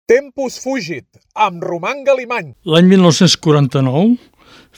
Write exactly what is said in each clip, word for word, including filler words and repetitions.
Tempus fugit, amb Roman Galimany. L'any mil nou-cents quaranta-nou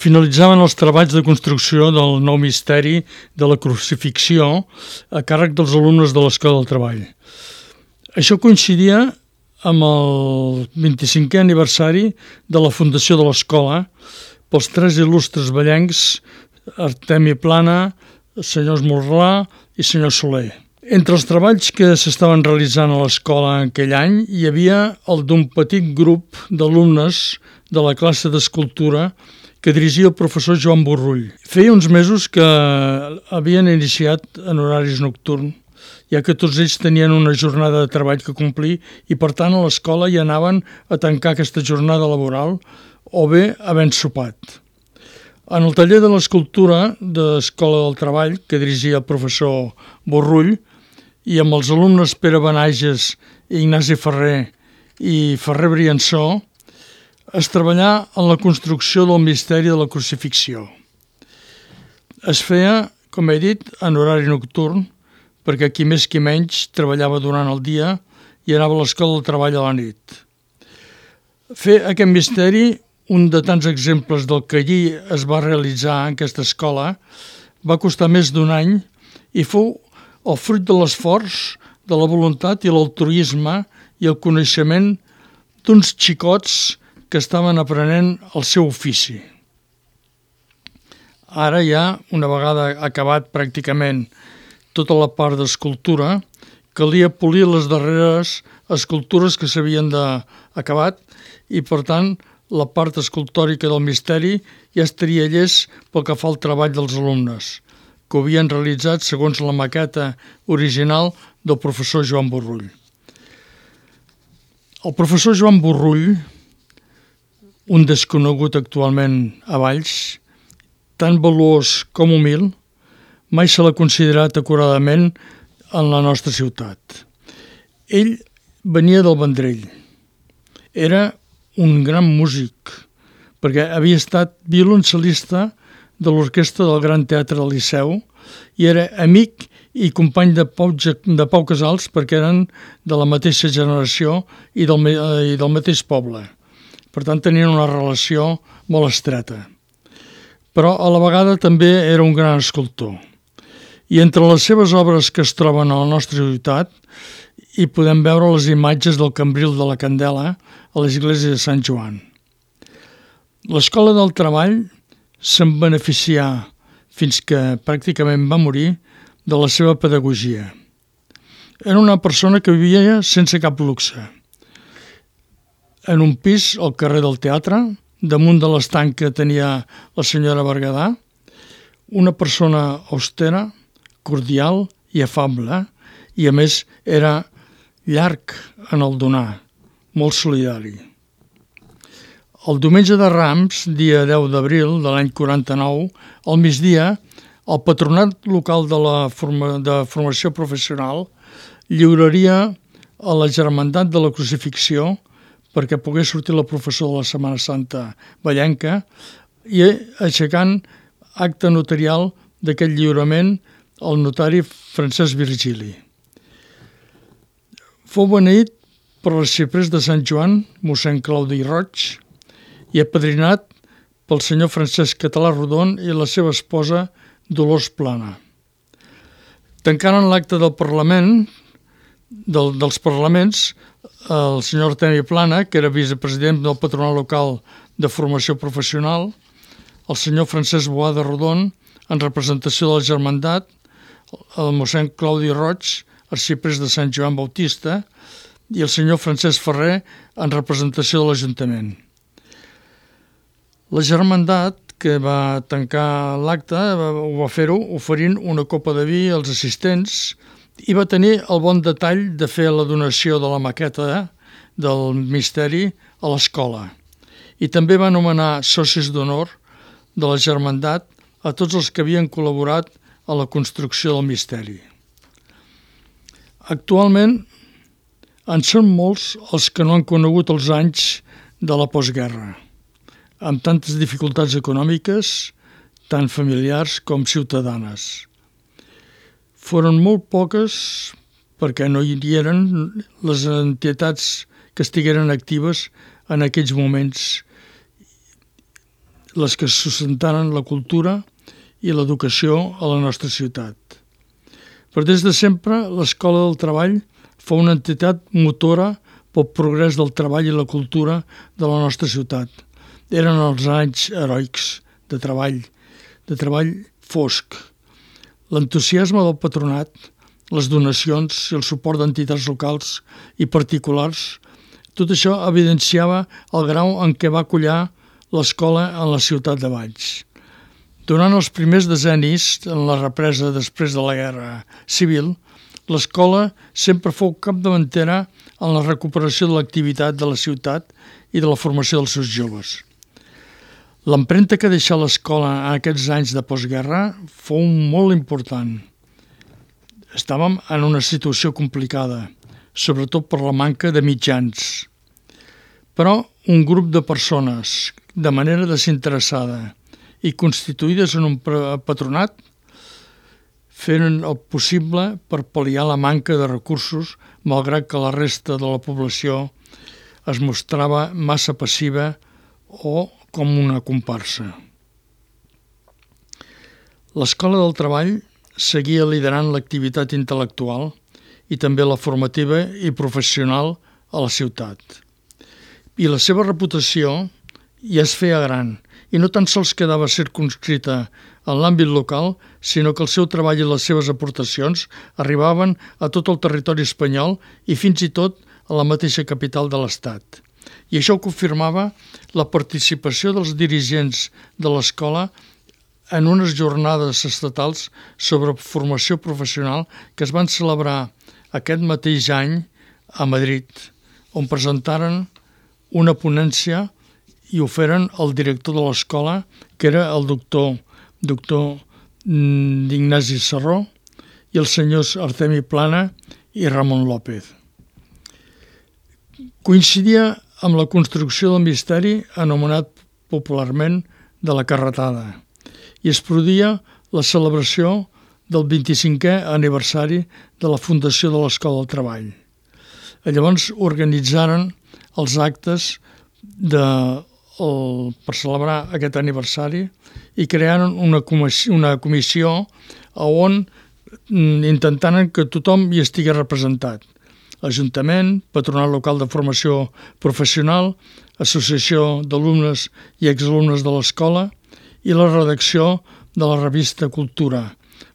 finalitzaven els treballs de construcció del nou misteri de la crucifixió a càrrec dels alumnes de l'Escola del Treball. Això coincidia amb el vint-i-cinquè aniversari de la fundació de l'escola pels tres il·lustres ballencs Artemi Plana, senyor Esmorlà i senyor Soler. Entre els treballs que s'estaven realitzant a l'escola en aquell any hi havia el d'un petit grup d'alumnes de la classe d'escultura que dirigia el professor Joan Borrull. Feia uns mesos que havien iniciat en horaris nocturns, ja que tots ells tenien una jornada de treball que complir i per tant a l'escola hi anaven a tancar aquesta jornada laboral o bé havent sopat. En el taller de l'escultura de l'Escola del Treball que dirigia el professor Borrull i amb els alumnes Pere Benages, Ignasi Ferrer i Ferrer Briançó, es treballà en la construcció del misteri de la crucifixió. Es feia, com he dit, en horari nocturn, perquè qui més qui menys treballava durant el dia i anava a l'Escola del Treball a la nit. Fer aquest misteri, un de tants exemples del que allí es va realitzar en aquesta escola, va costar més d'un any i fou el fruit de l'esforç, de la voluntat i l'altruisme i el coneixement d'uns xicots que estaven aprenent el seu ofici. Ara ja, una vegada acabat pràcticament tota la part d'escultura, calia polir les darreres escultures que s'havien acabat i, per tant, la part escultòrica del misteri ja estaria llest pel que fa al treball dels alumnes, que ho havien realitzat segons la maqueta original del professor Joan Borrull. El professor Joan Borrull, un desconegut actualment a Valls, tan valuós com humil, mai se l'ha considerat acuradament en la nostra ciutat. Ell venia del Vendrell. Era un gran músic, perquè havia estat violoncel·lista de l'orquestra del Gran Teatre del Liceu i era amic i company de Pau, de Pau Casals perquè eren de la mateixa generació i del, i del mateix poble. Per tant, tenien una relació molt estreta. Però a la vegada també era un gran escultor. I entre les seves obres que es troben a la nostra ciutat hi podem veure les imatges del Cambril de la Candela a l'església de Sant Joan. L'Escola del Treball se'n beneficià fins que pràcticament va morir de la seva pedagogia. Era una persona que vivia sense cap luxe. En un pis al carrer del Teatre, damunt de l'estanc que tenia la senyora Berguedà, una persona austera, cordial i afable, i a més era llarg en el donar, molt solidari. El diumenge de Rams, dia deu d'abril de l'any quaranta-nou, al migdia, el patronat local de la forma, de formació professional lliuraria a la Germandat de la Crucifixió perquè pogués sortir la professora de la Setmana Santa ballenca i aixecant acte notarial d'aquest lliurament el notari Francesc Virgili. Fou beneït per l'arxiprés de Sant Joan, mossèn Claudi Roig, i apadrinat pel senyor Francesc Català Rodon i la seva esposa Dolors Plana. Tancant l'acte del Parlament, del, dels Parlaments, el senyor Artemi Plana, que era vicepresident del Patronat Local de Formació Professional, el senyor Francesc Boada Rodon, en representació de la Germandat, el mossèn Claudi Roig, arxiprés de Sant Joan Bautista, i el senyor Francesc Ferrer, en representació de l'Ajuntament. La Germandat, que va tancar l'acte, ho va fer-ho oferint una copa de vi als assistents i va tenir el bon detall de fer la donació de la maqueta del misteri a l'escola. I també va anomenar socis d'honor de la Germandat a tots els que havien col·laborat a la construcció del misteri. Actualment en són molts els que no han conegut els anys de la postguerra, amb tantes dificultats econòmiques, tant familiars com ciutadanes. Foren molt poques, perquè no hi eren les entitats que estigueren actives en aquells moments, les que sustentaren la cultura i l'educació a la nostra ciutat. Però des de sempre, l'Escola del Treball fou una entitat motora pel progrés del treball i la cultura de la nostra ciutat. Eren els anys heroics de treball, de treball fosc. L'entusiasme del patronat, les donacions i el suport d'entitats locals i particulars, tot això evidenciava el grau en què va collar l'escola en la ciutat de Valls. Durant els primers decennis, en la represa després de la Guerra Civil, l'escola sempre fou capdavantera en la recuperació de l'activitat de la ciutat i de la formació dels seus joves. L'empremta que deixà l'escola en aquests anys de postguerra fou molt important. Estàvem en una situació complicada, sobretot per la manca de mitjans. Però un grup de persones, de manera desinteressada i constituïdes en un patronat, feren el possible per pal·liar la manca de recursos, malgrat que la resta de la població es mostrava massa passiva o com una comparsa. L'Escola del Treball seguia liderant l'activitat intel·lectual i també la formativa i professional a la ciutat. I la seva reputació ja es feia gran i no tan sols quedava circumscrita en l'àmbit local, sinó que el seu treball i les seves aportacions arribaven a tot el territori espanyol i fins i tot a la mateixa capital de l'Estat. I això confirmava la participació dels dirigents de l'escola en unes jornades estatals sobre formació professional que es van celebrar aquest mateix any a Madrid, on presentaren una ponència i ho feren el director de l'escola, que era el doctor, doctor Ignasi Serró, i els senyors Artemi Plana i Ramon López. Coincidia amb la construcció del misteri anomenat popularment de la Carretada i es produïa la celebració del vint-i-cinquè aniversari de la fundació de l'Escola del Treball. Llavors organitzaren els actes de, el, per celebrar aquest aniversari i crearen una comissió, una comissió on intentaren que tothom hi estigués representat. Ajuntament, Patronat Local de Formació Professional, Associació d'Alumnes i Exalumnes de l'Escola i la redacció de la revista Cultura,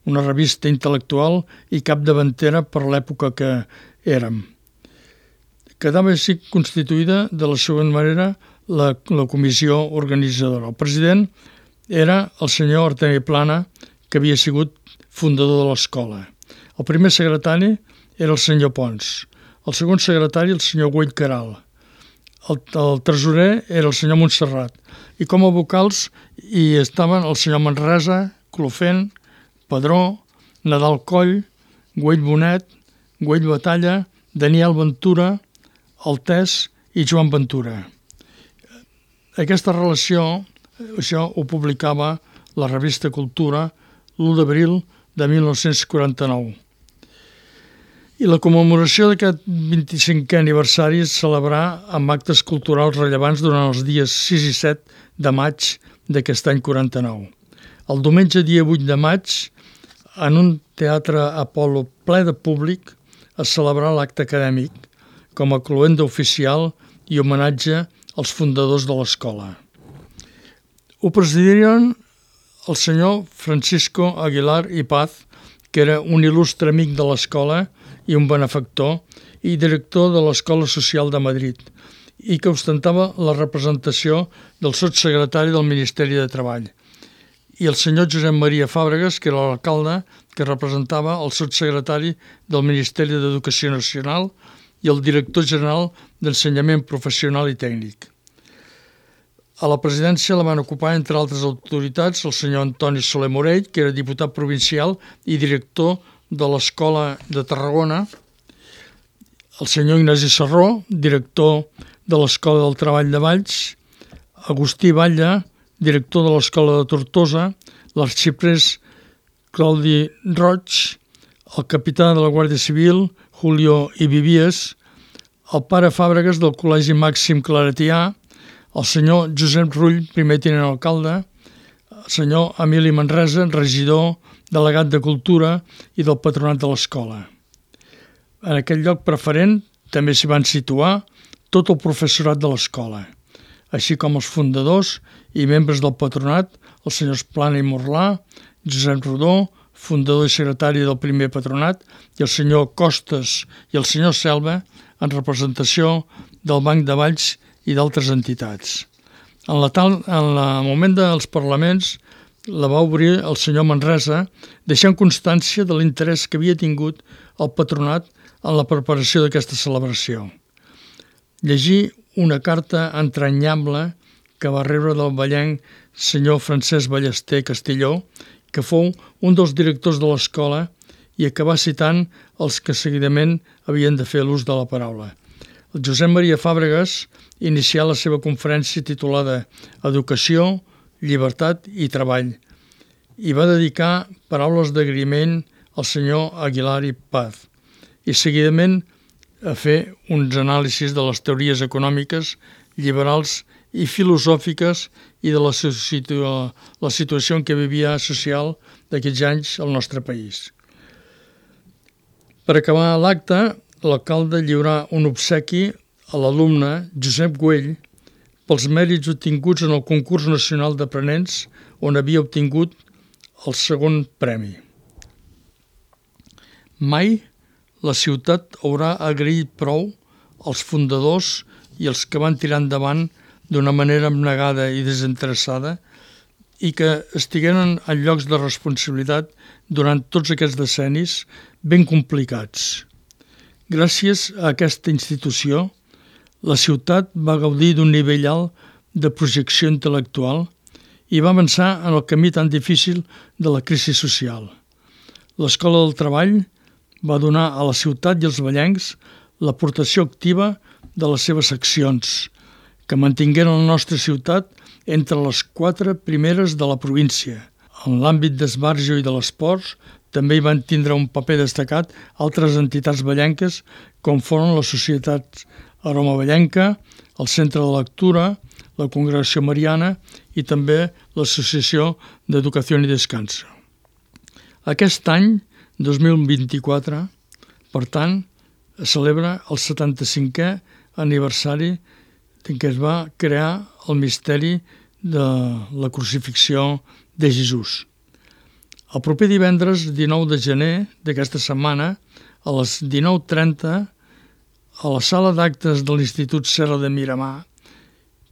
una revista intel·lectual i capdavantera per l'època que érem. Quedava així constituïda de la següent manera la, la comissió organitzadora. El president era el senyor Artemi Plana, que havia sigut fundador de l'escola. El primer secretari era el senyor Pons. El segon secretari, el senyor Güell Caral. El, el tresorer era el senyor Montserrat. I com a vocals hi estaven el senyor Manresa, Clofent, Padró, Nadal Coll, Güell Bonet, Güell Batalla, Daniel Ventura, Altès i Joan Ventura. Aquesta relació, això ho publicava la revista Cultura l'u d'abril de mil nou-cents quaranta-nou. I la commemoració d'aquest vint-i-cinquè aniversari es celebrà amb actes culturals rellevants durant els dies sis i set de maig d'aquest any quaranta-nou. El diumenge dia vuit de maig, en un teatre Apol·lo ple de públic, es celebrà l'acte acadèmic com a cloenda oficial i homenatge als fundadors de l'escola. Ho presidiren el senyor Francisco Aguilar i Paz, que era un il·lustre amic de l'escola i un benefactor i director de l'Escola Social de Madrid, i que ostentava la representació del sotssecretari del Ministeri de Treball, i el senyor Josep Maria Fàbregas, que era l'alcalde, que representava el sotssecretari del Ministeri d'Educació Nacional i el director general d'Ensenyament Professional i Tècnic. A la presidència la van ocupar, entre altres autoritats, el senyor Antoni Soler Morell, que era diputat provincial i director de l'Escola de Tarragona, el senyor Ignasi Serró, director de l'Escola del Treball de Valls, Agustí Batlle, director de l'Escola de Tortosa, l'arxiprés Claudi Roig, el capità de la Guàrdia Civil, Julio Ibivies, el pare Fàbregas del Col·legi Màxim Claretià, el senyor Josep Rull, primer tinent alcalde, el senyor Emili Manresa, regidor, delegat de Cultura i del patronat de l'escola. En aquest lloc preferent també s'hi van situar tot el professorat de l'escola, així com els fundadors i membres del patronat, els senyors Plana i Morlà, Josep Rodó, fundador i secretari del primer patronat, i el senyor Costes i el senyor Selva, en representació del Banc de Valls i d'altres entitats. En, la tal, en el moment dels parlaments la va obrir el senyor Manresa, deixant constància de l'interès que havia tingut el patronat en la preparació d'aquesta celebració. Llegir una carta entranyable que va rebre del vallenc senyor Francesc Ballester Castilló, que fou un dels directors de l'escola i que va citant els que seguidament havien de fer l'ús de la paraula. El Josep Maria Fàbregas inicià la seva conferència titulada Educació, Llibertat i Treball i va dedicar paraules d'agraïment al senyor Aguilar i Paz i seguidament a fer uns anàlisis de les teories econòmiques, liberals i filosòfiques i de la, situ la situació en què vivia social d'aquests anys al nostre país. Per acabar l'acte, l'alcalde lliurà un obsequi a l'alumne Josep Güell pels mèrits obtinguts en el concurs nacional d'aprenents on havia obtingut el segon premi. Mai la ciutat haurà agraït prou als fundadors i els que van tirar endavant d'una manera abnegada i desinteressada i que estigueren en llocs de responsabilitat durant tots aquests decennis ben complicats. Gràcies a aquesta institució, la ciutat va gaudir d'un nivell alt de projecció intel·lectual i va avançar en el camí tan difícil de la crisi social. L'Escola del Treball va donar a la ciutat i als vallencs l'aportació activa de les seves accions, que mantingueren la nostra ciutat entre les quatre primeres de la província. En l'àmbit d'esbarjo i de l'esport també hi van tindre un paper destacat altres entitats vallenques com foren la Societat Aroma Vallenca, el Centre de Lectura, la Congregació Mariana i també l'Associació d'Educació i Descanso. Aquest any, dos mil vint-i-quatre, per tant, es celebra el setanta-cinquè aniversari en què es va crear el misteri de la crucifixió de Jesús. El proper divendres dinou de gener d'aquesta setmana, a les dinou trenta, a la sala d'actes de l'Institut Serra de Miramar,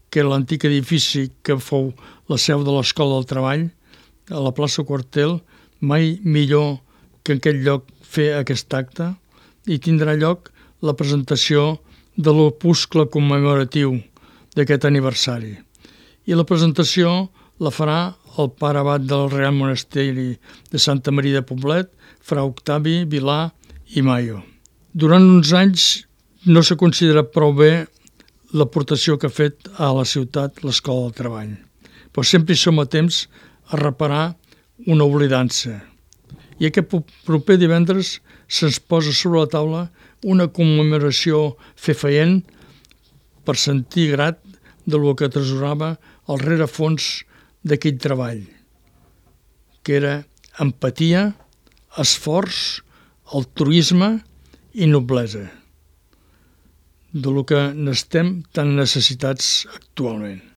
que era l'antic edifici que fou la seu de l'Escola del Treball, a la plaça Quartel, mai millor que en aquest lloc fer aquest acte, i tindrà lloc la presentació de l'opuscle commemoratiu d'aquest aniversari. I la presentació la farà el pare abat del Real Monasteri de Santa Maria de Poblet, fra Octavi Vilà i Mayo. Durant uns anys no s'ha considerat prou bé l'aportació que ha fet a la ciutat l'Escola del Treball, però sempre hi som a temps a reparar una oblidança. I aquest proper divendres se'ns posa sobre la taula una commemoració fefaent per sentir grat de lo que atresorava el rerefons d'aquell treball, que era empatia, esforç, altruisme i noblesa, de lo que n'estem tan necessitats actualment.